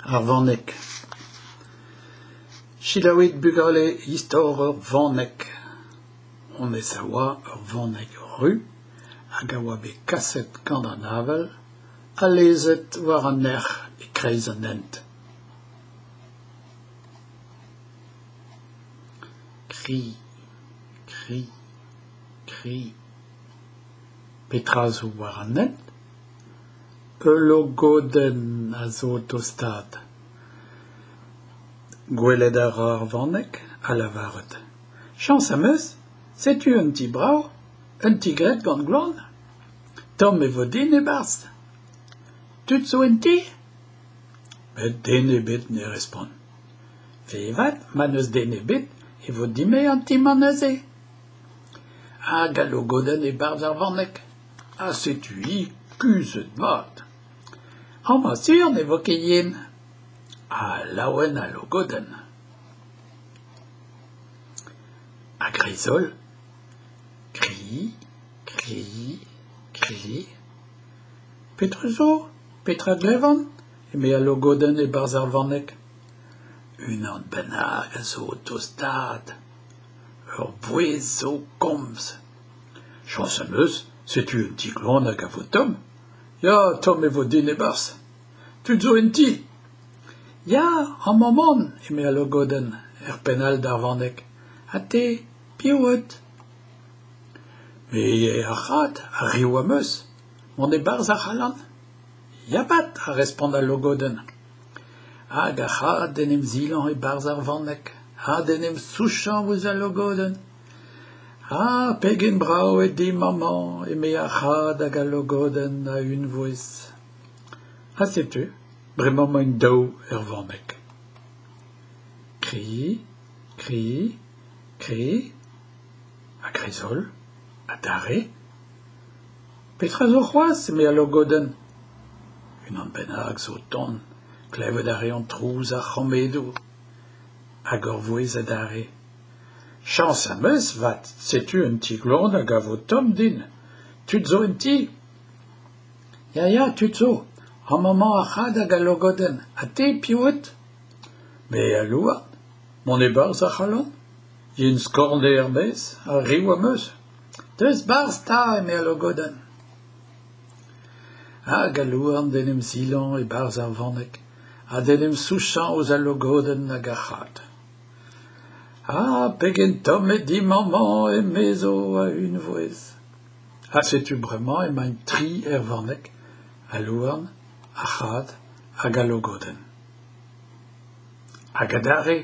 Ar vaneg. Selaouit bugale istor ur vaneg. Honnezh a oa ur vaneg ru hag a oa bet kaset gant an avel ha lezet war an erc'h e-kreiz an hent. Kri, kri, kri. Petra zo war an hent? Ul logodenn a zo o tostaat. Gwelet a ra ar vaneg ha lavaret Chañs am eus, setu un ti brav, un ti graet gant gloan. Tomm e vo din e-barzh. Tud zo en ti ? Met den ebet ne respont. Fe 'vat, ma n'eus den ebet e vo din-me an ti-mañ neuze. Hag al logodenn e-barzh ar vaneg. Ha setu-hi kuzhet mat. Amañ sur ne vo ket yen. Ha laouen al logodenn. A-greiz-holl, kri, kri, kri. Petra zo ? Petra 'glevan ? eme al logodenn e-barzh ar vaneg. Unan bennak a zo o tostaat. Ur vouezh zo o komz. Chañs am eus, setu un ti gloan hag a vo tomm. Ya, tomm e vo din e-barzh. Tud zo en ti ? Ya, amañ 'maon, eme al logodenn, er penn all d'ar vaneg. Ha te, piv out ? Me eo ar c'had, ha riv am eus. Mont e-barzh a c'hallan ? Ya 'vat, a respont al logodenn. Hag ar c'had d'en em silañ e-barzh ar vaneg ha d'en em souchañ ouzh al logodenn. Ha pegen brav eo dimp amañ, eme ar c'had hag al logodenn a-unvouezh. Ha setu, bremañ emaint daou er vaneg. Kri, kri, kri, a-greiz-holl, adarre. Petra zo c'hoazh ? eme al logodenn. Unan bennak zo o tont, klevet a reont trouz ar c'hammedoù. Hag ur vouezh adarre. Chañs am eus 'vat, setu un ti gloan hag a vo tomm din. Tud zo en ti ? Ya, ya, tud zo. Amañ 'mañ ar c'had hag al logodenn. Ha te, piv out ? Me al louarn. Mont e-barzh a c'hallan ? Yen-skorn eo er-maez, ha riv am eus. Deus 'barzh 'ta, eme al logodenn. Hag al louarn d'en em silañ e-barzh ar vaneg ha d'en em souchañ ouzh al logodenn hag ar c'had. Ha pegen tomm eo dimp amañ, emezo a-unvouezh. Ha setu bremañ emaint tri er vaneg, al louarn, ar c'had hag al logodenn. Hag adarre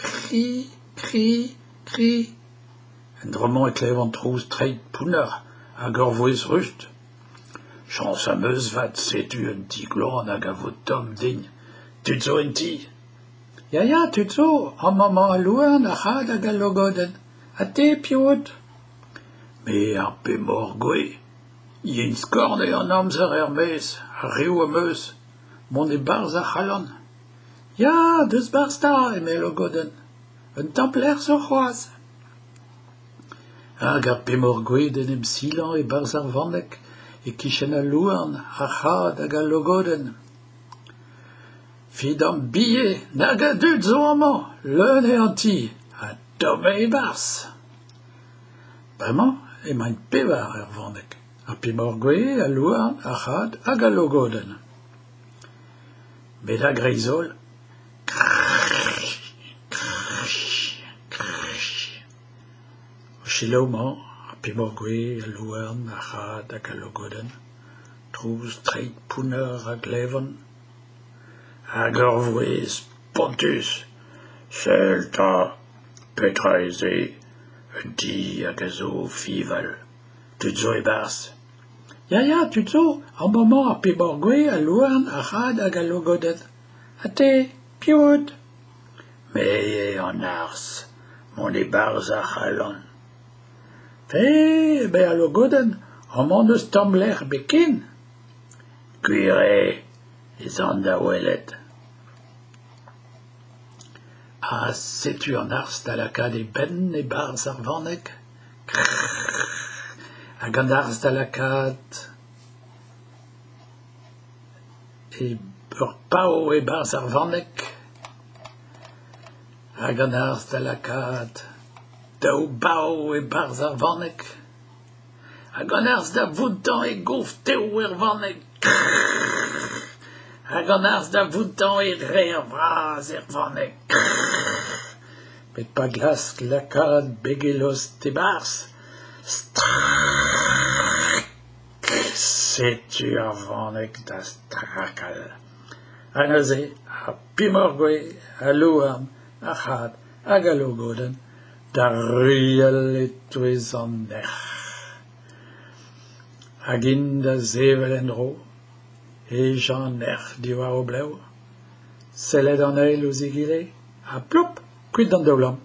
kri, kri, kri. En dro-mañ e klevan trouz treid pounner hag ur vouezh rust. Chañs am eus 'vat, setu un ti gloan hag a vo tomm din. Tud zo en ti ? Ya, ya, tud zo, amañ 'mañ al louarn, ar c'had hag al logodenn. Ha te, piv out ? Me ar pemoc'h gouez. Yen-skorn eo an amzer er-maez, ha riv am eus. Mont e-barzh a c'hallan ? Ya, deus 'barzh 'ta, eme al logodenn. Un tamm lec'h zo c'hoazh. Hag ar pemoc'h gouez d'en em silañ e-barzh ar vaneg, e-kichen al louarn, ar c'had hag al logodenn. Fidambie, nag a dud zo amañ, leun eo an ti, ha tomm eo e-barzh. Bremañ emaint pevar er vaneg, ar pemoc'h gouez, al louarn, ar c'had hag al logodenn. Met a-greiz-holl, krrr, krrr, krrr. O selaou 'mañ ar pemoc'h gouez, al louarn, ar c'had hag al logodenn. Trouz treid pounner a glevan. Hag ur vouezh spontus ! Sell 'ta ! Petra eo se ? Un ti hag a zo o fiñval. Tud zo e-barzh ? Ya, ya, tud zo ! Amañ 'mañ ar pemoc'h gouez, al louarn, ar c'had hag al logodenn. Ha te, piv out ? Me eo an arzh. Mont e-barzh a c'hallan. Fe, eme al logodenn, amañ n'eus tamm lec'h ebet ken. Gwir eo ez an da welet. Ha setu an arzh da lakaat e benn e-barzh ar vaneg. Krrr ! Hag an arzh da lakaat e... Ur pav e-barzh ar vaneg hag an arzh da lakaat daou bav e-barzh ar vaneg hag an arzh da vountañ e gof tev er vaneg hag an arzh da vountañ e reer vras er vaneg met pa glask lakaat beg e lost e-barzh strak setu ar vaneg da strakal. Ha neuze ar pemoc'h-gouez, al louarn, ar c'had hag al logodenn da ruilhal e-touez an erc'h. Hag int da sevel en-dro, hejañ an erc'h diwar o blev, sellet an eil ouzh egile ha plop kuit d'an daoulamm.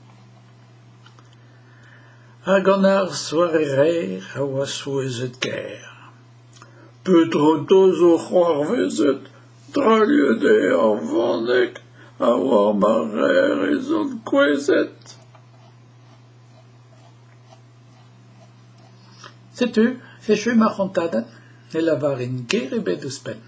Hag an arzh war e reer a oa souezhet-kaer. Petra 'ta zo c'hoarvezet? Drailhet eo ar vaneg ha war ma reer ez on kouezhet. Setu, echu ma c'hontadenn, ne lavarin ger ebet ouzhpenn.